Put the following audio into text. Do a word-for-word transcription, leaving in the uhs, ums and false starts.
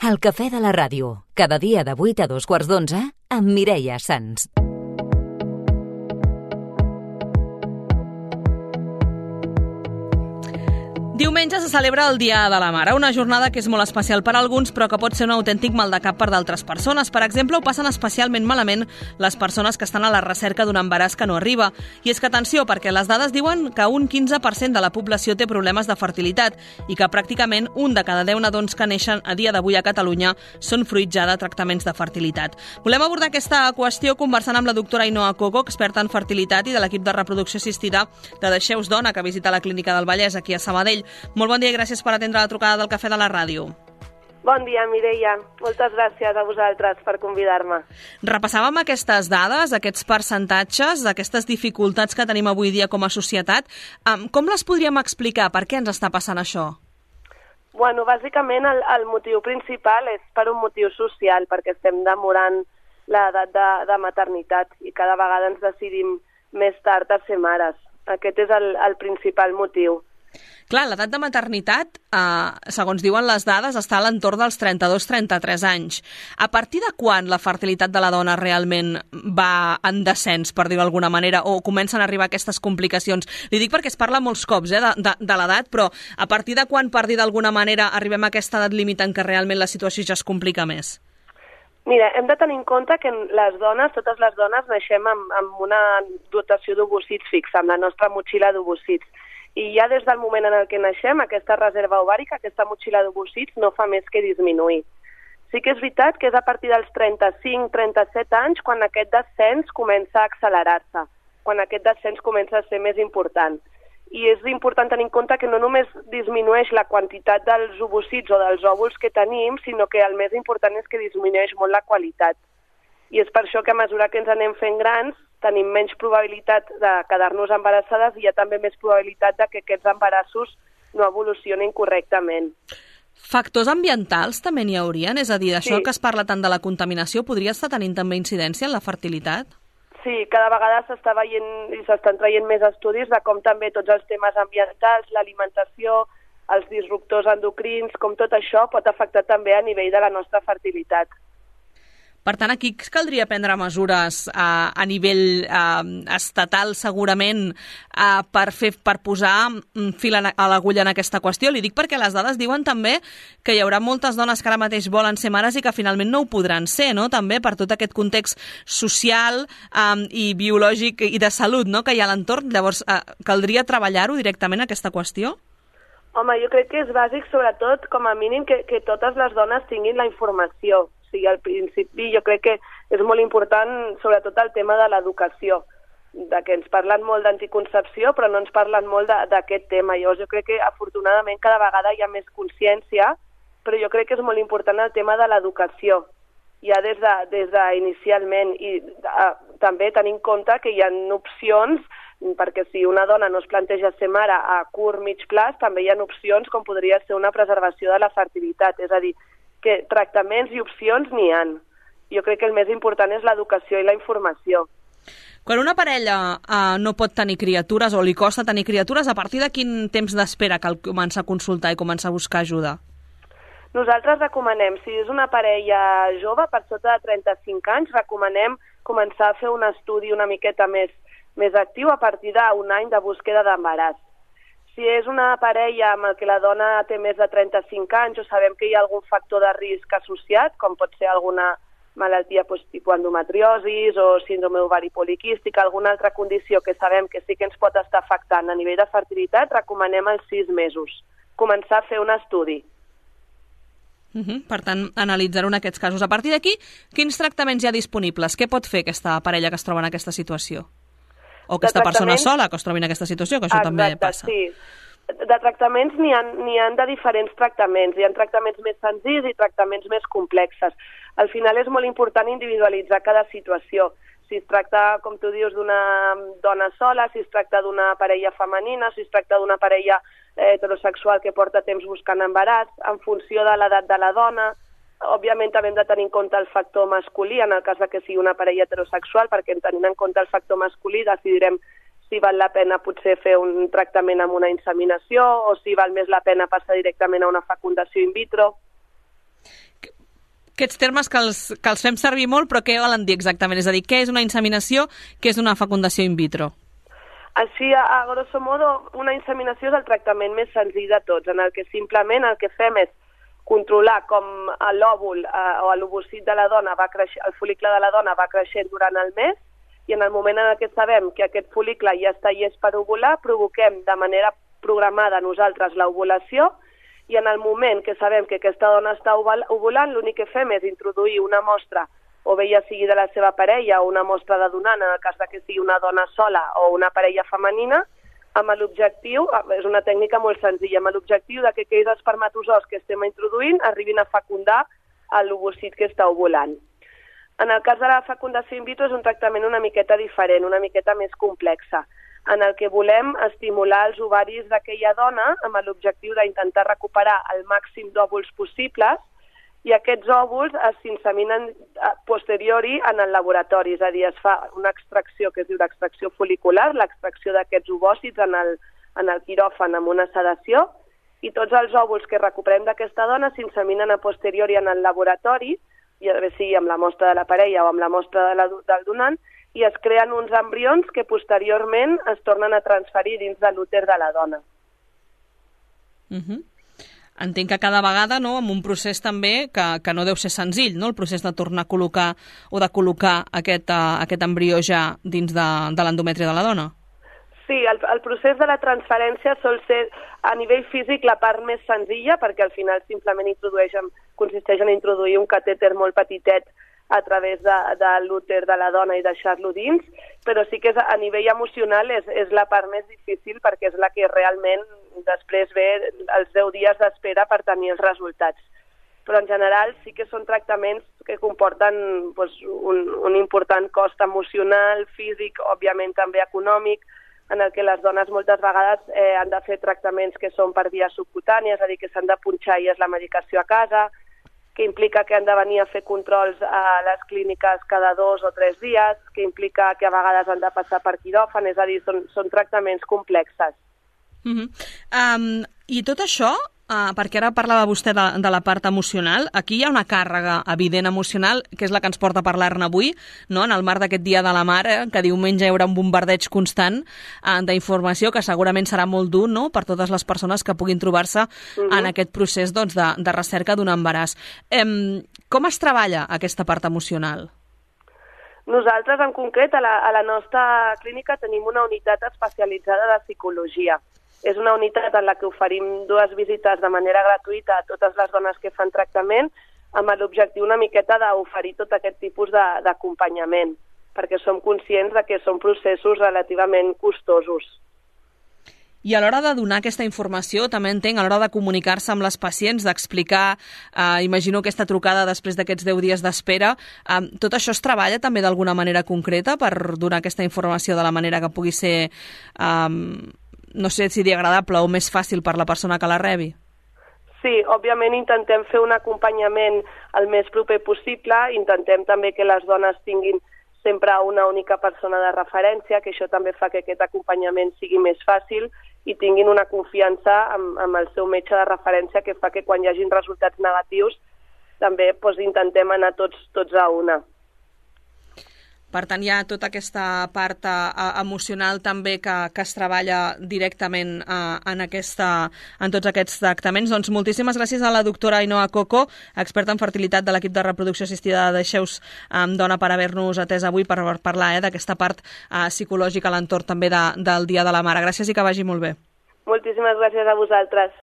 El cafè de la ràdio, cada dia de vuit a dos quarts d'onze, amb Mireia Sans. Diumenge se celebra el Dia de la Mare, una jornada que és molt especial per a alguns, però que pot ser un autèntic mal de cap per d'altres persones. Per exemple, ho passen especialment malament les persones que estan a la recerca d'un embaràs que no arriba. I és que, atenció, perquè les dades diuen que un quinze per cent de la població té problemes de fertilitat i que pràcticament un de cada deu nadons que neixen a dia d'avui a Catalunya són fruit ja de tractaments de fertilitat. Volem abordar aquesta qüestió conversant amb la doctora Ainhoa Coco, experta en fertilitat i de l'equip de reproducció assistida de Deixeu-vos Dona, que visita la Clínica del Vallès aquí a Sabadell. Molt bon dia i gràcies per atendre la trucada del Cafè de la Ràdio. Bon dia, Mireia. Moltes gràcies a vosaltres per convidar-me. Repassàvem aquestes dades, aquests percentatges, d'aquestes dificultats que tenim avui dia com a societat. Com les podríem explicar? Per què ens està passant això? Bueno, bàsicament el, el motiu principal és per un motiu social, perquè estem demorant l'edat de, de maternitat i cada vegada ens decidim més tard a ser mares. Aquest és el, el principal motiu. Clar, l'edat de maternitat, eh, segons diuen les dades, està a l'entorn dels trenta-dos trenta-tres anys. A partir de quan la fertilitat de la dona realment va en descens, per dir-ho d'alguna manera, o comencen a arribar aquestes complicacions? Li dic perquè es parla molts cops eh, de, de, de l'edat, però a partir de quan, per dir d'alguna manera, arribem a aquesta edat límit en què realment la situació ja es complica més? Mira, hem de tenir en compte que les dones, totes les dones, naixem amb, amb una dotació d'ovocits fixa, amb la nostra motxilla d'ovocits. I ja des del moment en el que naixem, aquesta reserva ovàrica, aquesta motxilla d'ovocits, no fa més que disminuir. Sí que és veritat que és a partir dels trenta-cinc trenta-set anys quan aquest descens comença a accelerar-se, quan aquest descens comença a ser més important. I és important tenir en compte que no només disminueix la quantitat dels ovocits o dels òvuls que tenim, sinó que el més important és que disminueix molt la qualitat. I és per això que a mesura que ens anem fent grans, tenim menys probabilitat de quedar-nos embarassades i hi ha també més probabilitat de que aquests embarassos no evolucionin correctament. Factors ambientals també n'hi haurien? És a dir, això sí. que es parla tant de la contaminació podria estar tenint també incidència en la fertilitat? Sí, cada vegada s'està veient i s'estan traient més estudis de com també tots els temes ambientals, l'alimentació, els disruptors endocrins, com tot això pot afectar també a nivell de la nostra fertilitat. Per tant, aquí caldria prendre mesures eh, a nivell eh, estatal, segurament, eh, per, fer, per posar fil a l'agulla en aquesta qüestió. Li dic perquè les dades diuen també que hi haurà moltes dones que ara mateix volen ser mares i que finalment no ho podran ser, no? També per tot aquest context social eh, i biològic i de salut, no?, que hi ha a l'entorn. Llavors, eh, caldria treballar-ho directament, aquesta qüestió? Home, jo crec que és bàsic, sobretot, com a mínim, que, que totes les dones tinguin la informació. O sigui, al principi jo crec que és molt important, sobretot, el tema de l'educació, de que ens parlen molt d'anticoncepció, però no ens parlen molt d'aquest tema. Llavors, jo crec que, afortunadament, cada vegada hi ha més consciència, però jo crec que és molt important el tema de l'educació, ja des de, des de inicialment, i a, també tenir en compte que hi ha opcions, perquè si una dona no es planteja ser mare a curt, mig plaç, també hi ha opcions com podria ser una preservació de la fertilitat, és a dir, que tractaments i opcions n'hi ha. Jo crec que el més important és l'educació i la informació. Quan una parella eh, no pot tenir criatures o li costa tenir criatures, a partir de quin temps d'espera cal començar a consultar i començar a buscar ajuda? Nosaltres recomanem, si és una parella jove, per sota de trenta-cinc anys, recomanem començar a fer un estudi una miqueta més, més actiu a partir d'un any de búsqueda d'embaràs. Si és una parella amb el que la dona té més de trenta-cinc anys o sabem que hi ha algun factor de risc associat, com pot ser alguna malaltia doncs, tipus endometriosis o síndrome ovari poliquístic, alguna altra condició que sabem que sí que ens pot estar afectant a nivell de fertilitat, recomanem els sis mesos. Començar a fer un estudi. Uh-huh. Per tant, analitzar-ho en aquests casos. A partir d'aquí, quins tractaments hi ha disponibles? Què pot fer aquesta parella que es troba en aquesta situació? O aquesta persona sola que es trobi en aquesta situació, que això Exacte, també passa. Sí. De tractaments n'hi ha, n'hi ha de diferents tractaments. Hi ha tractaments més senzills i tractaments més complexes. Al final és molt important individualitzar cada situació. Si es tracta, com tu dius, d'una dona sola, si es tracta d'una parella femenina, si es tracta d'una parella eh, heterosexual que porta temps buscant embaràs, en funció de l'edat de la dona. Òbviament també hem de tenir en compte el factor masculí, en el cas de que sigui una parella heterosexual, perquè tenint en compte el factor masculí decidirem si val la pena potser fer un tractament amb una inseminació o si val més la pena passar directament a una fecundació in vitro. aquests termes que els, que els fem servir molt, però què volen dir exactament? És a dir, què és una inseminació, què és una fecundació in vitro? Així, a, a grosso modo, una inseminació és el tractament més senzill de tots, en el que simplement el que fem és controlar com l'òvul eh, o l'ovocit de la dona va creixer, el fol·licle de la dona va creixent durant el mes, i en el moment en què sabem que aquest fol·licle ja està llest per ovular, provoquem de manera programada nosaltres l'ovulació, i en el moment que sabem que aquesta dona està ovulant, l'únic que fem és introduir una mostra, o bé ja sigui de la seva parella o una mostra de donant, en el cas que sigui una dona sola o una parella femenina, amb l'objectiu, és una tècnica molt senzilla, amb l'objectiu de que aquells espermatozoos que estem introduint arribin a fecundar l'ovocit que està ovulant. En el cas de la fecundació in vitro és un tractament una miqueta diferent, una miqueta més complexa, en el que volem estimular els ovaris d'aquella dona amb l'objectiu d'intentar recuperar el màxim d'òvuls possibles, i aquests òvuls s'inseminen posteriori en el laboratori, és a dir, es fa una extracció que es diu l'extracció fol·licular, l'extracció d'aquests ovòcits en el, en el quiròfan amb una sedació, i tots els òvuls que recuperem d'aquesta dona s'inseminen a posteriori en el laboratori, ja bé sigui amb la mostra de la parella o amb la mostra de la, del donant, i es creen uns embrions que posteriorment es tornen a transferir dins de l'úter de la dona. Mhm. Entenc que cada vegada, no, amb un procés també que, que no deu ser senzill, no?, el procés de tornar a col·locar o de col·locar aquest, uh, aquest embrió ja dins de, de l'endometri de la dona. Sí, el, el procés de la transferència sol ser a nivell físic la part més senzilla, perquè al final simplement introdueix, consisteix en introduir un catèter molt petitet a través de, de l'úter de la dona i deixar-lo dins, però sí que és, a nivell emocional és, és la part més difícil, perquè és la que realment després ve els deu dies d'espera per tenir els resultats. Però en general sí que són tractaments que comporten doncs, un, un important cost emocional, físic, òbviament també econòmic, en el que les dones moltes vegades eh, han de fer tractaments que són per via subcutània, és a dir, que s'han de punxar i és la medicació a casa, que implica que han de venir a fer controls a les clíniques cada dos o tres dies, que implica que a vegades han de passar per quiròfan, és a dir, són, són tractaments complexes. Uh-huh. um, I tot això, uh, perquè ara parlava vostè de, de la part emocional, aquí hi ha una càrrega evident emocional, que és la que ens porta a parlar-ne avui, no?, en el marc d'aquest Dia de la Mare, que diumenge hi haurà un bombardeig constant uh, d'informació, que segurament serà molt dur, no?, per totes les persones que puguin trobar-se uh-huh. en aquest procés, doncs, de, de recerca d'un embaràs. Um, com es treballa aquesta part emocional? Nosaltres, en concret, a la, a la nostra clínica tenim una unitat especialitzada de psicologia. És una unitat en la que oferim dues visites de manera gratuïta a totes les dones que fan tractament, amb l'objectiu una miqueta d'oferir tot aquest tipus d'acompanyament, perquè som conscients de que són processos relativament costosos. I a l'hora de donar aquesta informació, també entenc, a l'hora de comunicar-se amb les pacients, d'explicar, eh, imagino aquesta trucada després d'aquests deu dies d'espera, eh, tot això es treballa també d'alguna manera concreta per donar aquesta informació de la manera que pugui ser, eh, no sé si dir agradable o més fàcil per la persona que la rebi? Sí, òbviament intentem fer un acompanyament el més proper possible, intentem també que les dones tinguin sempre una única persona de referència, que això també fa que aquest acompanyament sigui més fàcil i tinguin una confiança amb, amb el seu metge de referència, que fa que quan hi hagin resultats negatius també doncs, intentem anar tots, tots a una. Per tant, hi ha tota aquesta part uh, emocional també que, que es treballa directament uh, en, aquesta, en tots aquests tractaments. Doncs moltíssimes gràcies a la doctora Ainhoa Coco, experta en fertilitat de l'equip de reproducció assistida de Deixeu-vos um, Dona, per haver-nos atès avui per, per parlar eh, d'aquesta part uh, psicològica a l'entorn també de, del Dia de la Mare. Gràcies i que vagi molt bé. Moltíssimes gràcies a vosaltres.